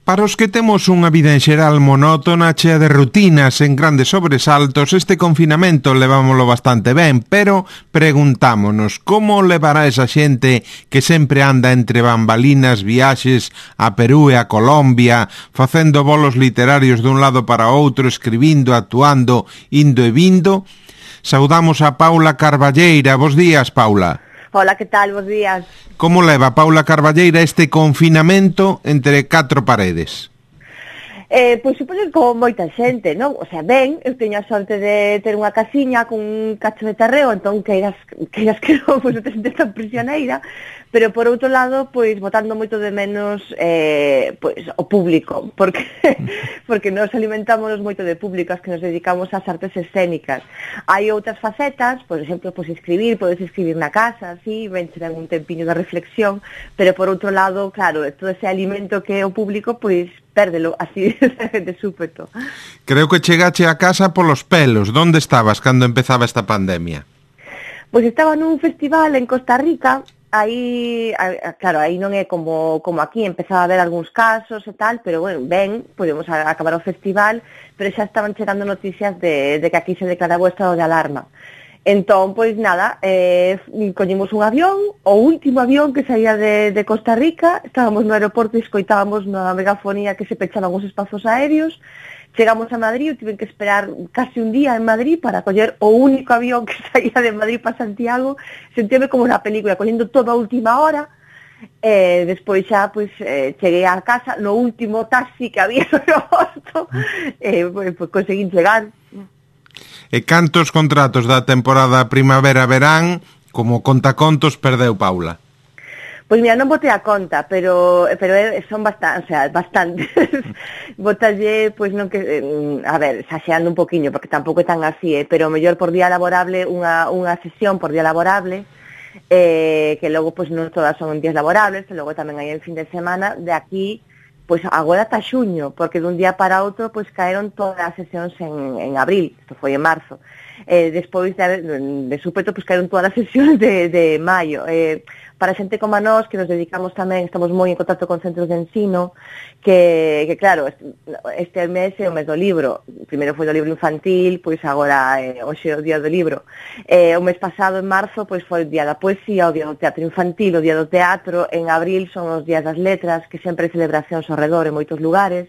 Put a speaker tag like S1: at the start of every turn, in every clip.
S1: Para os que temos unha vida en xeral monótona, chea de rutinas en grandes sobresaltos, este confinamento levámoslo bastante ben, pero preguntámonos como levará esa xente que sempre anda entre bambalinas, viaxes a Perú e a Colombia, facendo bolos literarios dun lado para outro, escribindo, actuando, indo e vindo. Saudamos a Paula Carballeira. Bos días, Paula.
S2: Hola, que tal? Bos días.
S1: Como leva Paula Carballeira este confinamento entre 4 paredes?
S2: Pois supoño que como moita xente, non? O sea, ben, eu teño a sorte de ter unha casiña con un cacho de terreo, entón queiras que non, pois non te sentes tan prisioneira, pero por outro lado, pois botando moito de menos pois o público, porque nos alimentamos moito de público, as que nos dedicamos ás artes escénicas. Hai outras facetas, por exemplo, pois podes escribir na casa, así, ben un tempiño de reflexión, pero por outro lado, claro, todo ese alimento que é o público, pois pérdelo así de súpeto.
S1: Creo que chegache a casa polos pelos. Donde estabas cando empezaba esta pandemia?
S2: Pois estaba nun festival en Costa Rica. Aí, claro, aí non é como aquí, empezaba a haber algúns casos e tal, pero bueno, ben, podemos acabar o festival, pero xa estaban chegando noticias de que aquí se declaraba o estado de alarma. Entón, pois nada, collimos un avión, o último avión que saía de Costa Rica, estábamos no aeroporto e escoitábamos na megafonía que se pechaban os espazos aéreos, chegamos a Madrid, tiven que esperar casi un día en Madrid para coller o único avión que saía de Madrid para Santiago, sentíame como na película, collendo toda a última hora, despois xa, pois, cheguei a casa, no último taxi que había no aeroporto, pois conseguín chegar.
S1: E cantos contratos da temporada primavera-verán, como contacontos, perdeu Paula?
S2: Pois mira, non botei a conta, pero son bastantes, botalle, pois non que, a ver, xaxeando un poquinho, porque tampouco é tan así, pero mellor por día laborable, unha sesión por día laborable, que logo pois non todas son en días laborables, que logo tamén hai en fin de semana, de aquí, pois agora ata xuño, porque dun día para outro pois caeron todas as sesións en abril, isto foi en marzo. Despois de súpeto pois caeron todas as sesións de maio. Para xente como a nós, que nos dedicamos tamén, estamos moi en contacto con centros de ensino, que claro, este mes é o mes do libro. Primeiro foi do libro infantil, pois agora hoxe é o día do libro. O mes pasado, en marzo, pois foi o día da poesía, o día do teatro infantil, o día do teatro. En abril son os días das letras, que sempre hai celebracións ao redor en moitos lugares.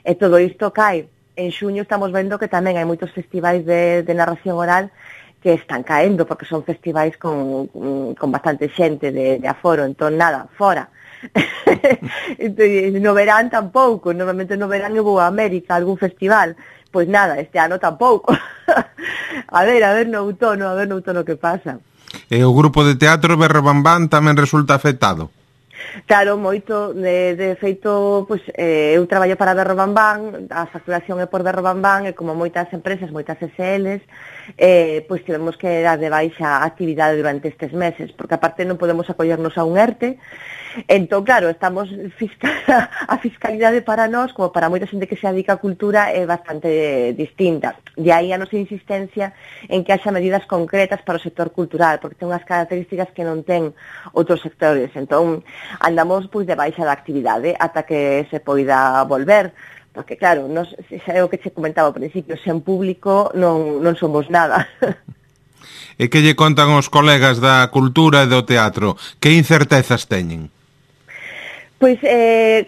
S2: E todo isto cae. En xuño estamos vendo que tamén hai moitos festivais de narración oral que están caendo, porque son festivais con bastante xente de aforo, entón nada, fora. No verán tampouco, normalmente no verán eu vou a América, a algún festival, pois nada, este ano tampouco. a ver no outono que pasa.
S1: E o grupo de teatro Berrobambán tamén resulta afectado?
S2: Claro, moito, de feito, pois, eu traballo para Berrobambán, a facturación é por Berrobambán, e como moitas empresas, moitas SLs, pois tivemos que dar de baixa a actividade durante estes meses, porque aparte non podemos acollernos a un ERTE, entón, claro, estamos, a fiscalidade para nós, como para moita xente que se dedica a cultura, é bastante distinta. De aí a nosa insistencia en que haxa medidas concretas para o sector cultural, porque ten unhas características que non ten outros sectores, entón, andamos pois de baixa da actividade ata que se poida volver, porque claro, nos, xa é o que che comentaba ao principio, sen público non somos nada.
S1: E que lle contan os colegas da cultura e do teatro? Que incertezas teñen?
S2: Pois,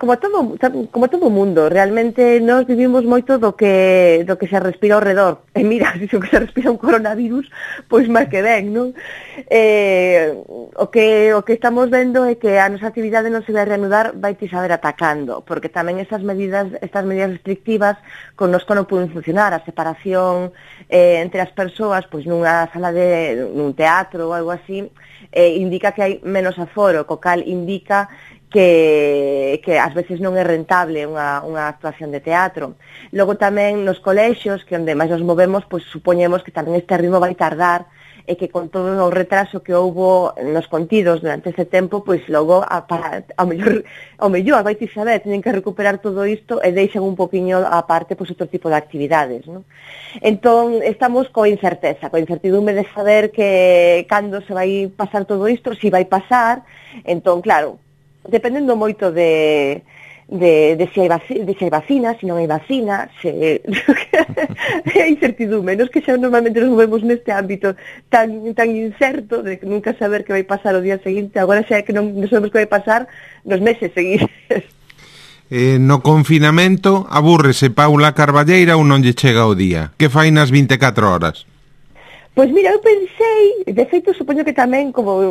S2: como todo mundo, realmente nós vivimos moito do que se respira ao redor. E mira, se o que se respira un coronavirus, pois máis que ben, non? O que estamos vendo é que a nosa actividade non se vai reanudar, vai te saber atacando, porque tamén estas medidas restrictivas connosco non poden funcionar, a separación entre as persoas, pois nunha sala nun teatro ou algo así, indica que hai menos aforo, co cal indica que ás veces non é rentable unha actuación de teatro. Logo tamén nos colexios, que onde máis nos movemos, pois supoñemos que tamén este ritmo vai tardar e que con todo o retraso que houbo nos contidos durante ese tempo, pois logo ao mellor vai te saber, teñen que recuperar todo isto e deixan un poquinho a parte pois outro tipo de actividades, non? Entón, estamos coa incertidume de saber que cando se vai pasar todo isto, si vai pasar. Entón, claro, dependendo moito de de se hai vacina, se non hai vacina, se é incertidume, nos que xa normalmente nos movemos neste ámbito tan incerto de nunca saber que vai pasar o día seguinte, agora xa é que non sabemos que vai pasar nos meses seguintes.
S1: No confinamento, abúrrese Paula Carballeira ou non lle chega o día? Que fai nas 24 horas?
S2: Pois mira, eu pensei, de feito, supoño que tamén como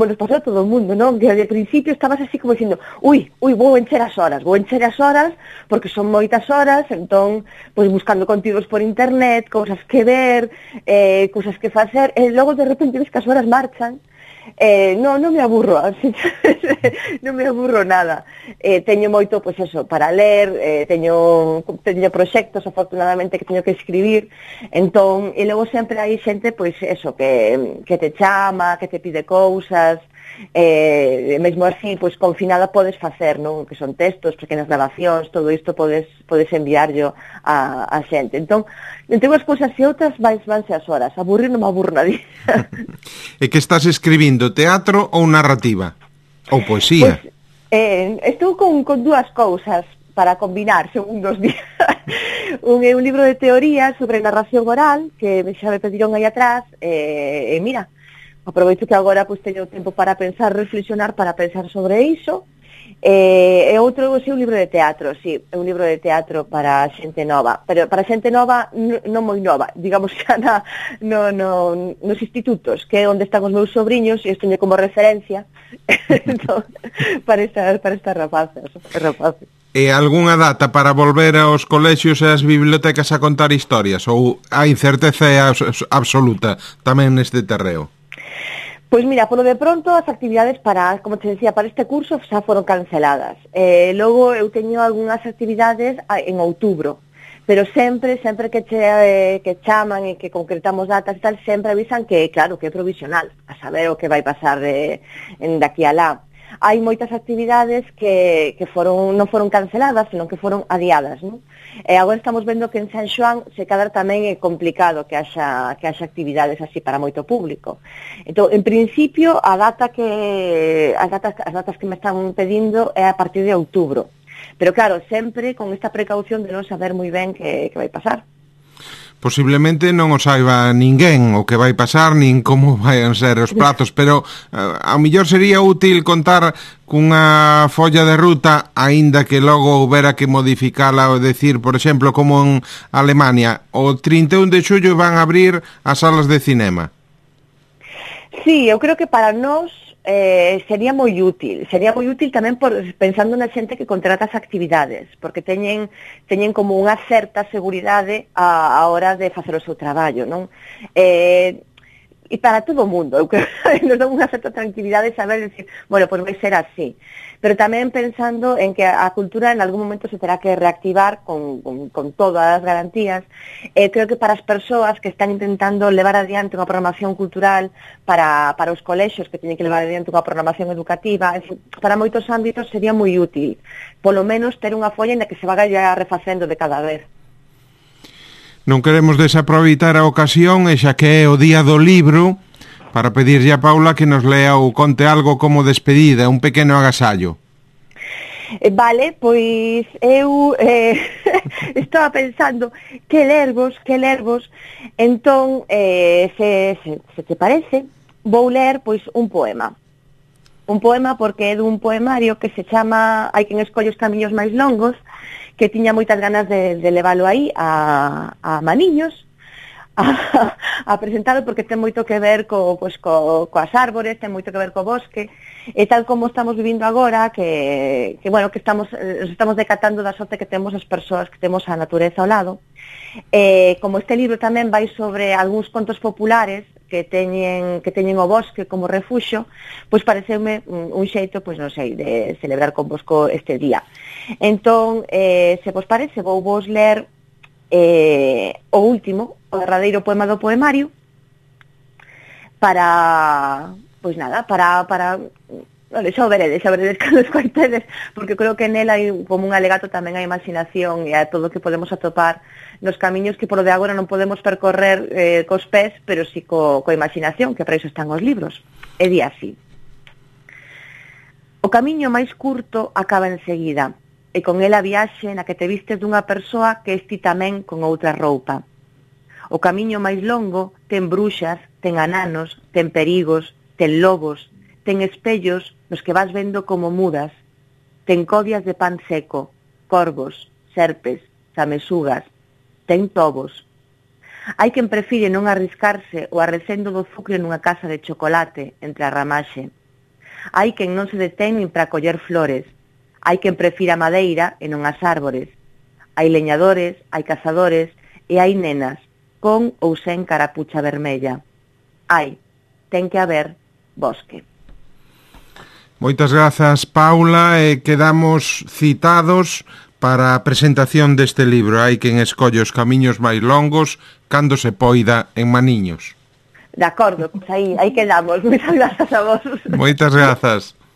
S2: nos pasou a todo o mundo, non? Que de principio estabas así como dicindo, vou encher as horas, porque son moitas horas, entón, pois buscando contidos por internet, cousas que ver, cousas que facer, e logo de repente ves que as horas marchan. Non me aburro, non me aburro nada. Teño moito, pois eso, para ler, teño proxectos, afortunadamente, que teño que escribir, entón, e logo sempre hai xente, pois eso, que te chama, que te pide cousas, mesmo así, pois confinada podes facer, non? Que son textos, pequenas grabacións, todo isto podes enviarlo a xente. Entón, entre unhas cousas e outras vanse as horas. Aburrir non me aburro nadie.
S1: E que estás escribindo, teatro ou narrativa? Ou poesía?
S2: Pois, estou con dúas cousas para combinar, según dos días. Un libro de teoría sobre narración oral, que xa me pediron aí atrás, e mira, aproveito que agora pois teño tempo para pensar, reflexionar, para pensar sobre iso. E outro é un libro de teatro, sí, é un libro de teatro para xente nova, pero para xente nova non moi nova, digamos xa nos institutos, que é onde están os meus sobriños, e isto teño como referencia entón, para estas rapaces.
S1: E algunha data para volver aos colexios e ás bibliotecas a contar historias, ou a incerteza é absoluta tamén neste terreo?
S2: Pois mira, polo de pronto as actividades como te decía, para este curso xa foron canceladas. Logo eu teño algunhas actividades en outubro, pero sempre que chaman e que concretamos datas e tal, sempre avisan que, claro, que é provisional, a saber o que vai pasar de aquí a lá. Hai moitas actividades que non foron canceladas, senón que foron adiadas, non? E agora estamos vendo que en San Xoán se cadra tamén é complicado que haxa actividades así para moito público. Entón, en principio, as datas que me están pedindo é a partir de outubro. Pero claro, sempre con esta precaución de non saber moi ben que vai pasar.
S1: Posiblemente non o saiba ninguén o que vai pasar, nin como vai ser os prazos, pero ao mellor sería útil contar cunha folla de ruta, aínda que logo houbera que modificala ou decir, por exemplo, como en Alemania, o 31 de xullo van a abrir as salas de cinema.
S2: Sí, eu creo que para nós sería moi útil tamén pensando na xente que contrata as actividades, porque teñen como unha certa seguridade a hora de facer o seu traballo, non? E para todo o mundo, eu creo que nos dá unha certa tranquilidade saber decir, bueno, pois vai ser así. Pero tamén pensando en que a cultura en algún momento se terá que reactivar con todas as garantías. Creo que para as persoas que están intentando levar adiante unha programación cultural para os colexios que teñen que levar adiante unha programación educativa, para moitos ámbitos sería moi útil, polo menos ter unha folla na que se vaga ya refacendo de cada vez.
S1: Non queremos desaproveitar a ocasión, e xa que é o día do libro, para pedirlle a Paula que nos lea ou conte algo como despedida, un pequeno agasallo.
S2: Vale, pois eu estaba pensando que lervos, entón, se te parece, vou ler pois un poema porque é dun poemario que se chama Hai quen escolle os camiños máis longos, que tiña moitas ganas de leválo aí a Maniños, a presentado, porque ten moito que ver coas árbores, ten moito que ver co bosque, e tal como estamos vivindo agora, que estamos decatando da sorte que temos as persoas, que temos a natureza ao lado. Como este libro tamén vai sobre algúns contos populares que teñen o bosque como refuxo, pois pareceume un xeito, pois non sei, de celebrar convosco este día. Entón, se vos parece, vou vos ler o último, o derradeiro poema do poemario, para xa o veredes cando escoitedes, porque creo que nela hai como un alegato tamén a imaginación e a todo o que podemos atopar nos camiños que polo de agora non podemos percorrer cos pés, pero si coa imaginación, que para iso están os libros. E di así: o camiño máis curto acaba enseguida, e con ela viaxe na que te vistes dunha persoa que es ti tamén con outra roupa. O camiño máis longo ten bruxas, ten ananos, ten perigos, ten lobos, ten espellos nos que vas vendo como mudas, ten codias de pan seco, corvos, serpes, samesugas, ten tobos. Hai quen prefire non arriscarse o arrecendo do zucre nunha casa de chocolate entre a ramaxe. Hai quen non se detén nin para coller flores. Hai quen prefira a madeira e non as árbores. Hai leñadores, hai cazadores e hai nenas, con ou sen carapucha vermella. Ten que haber bosque.
S1: Moitas grazas, Paula, e quedamos citados para a presentación deste libro. Hai quen escolle os camiños máis longos cando se poida en Maniños.
S2: De acordo, pois aí quedamos. Moitas grazas a vos.
S1: Moitas grazas.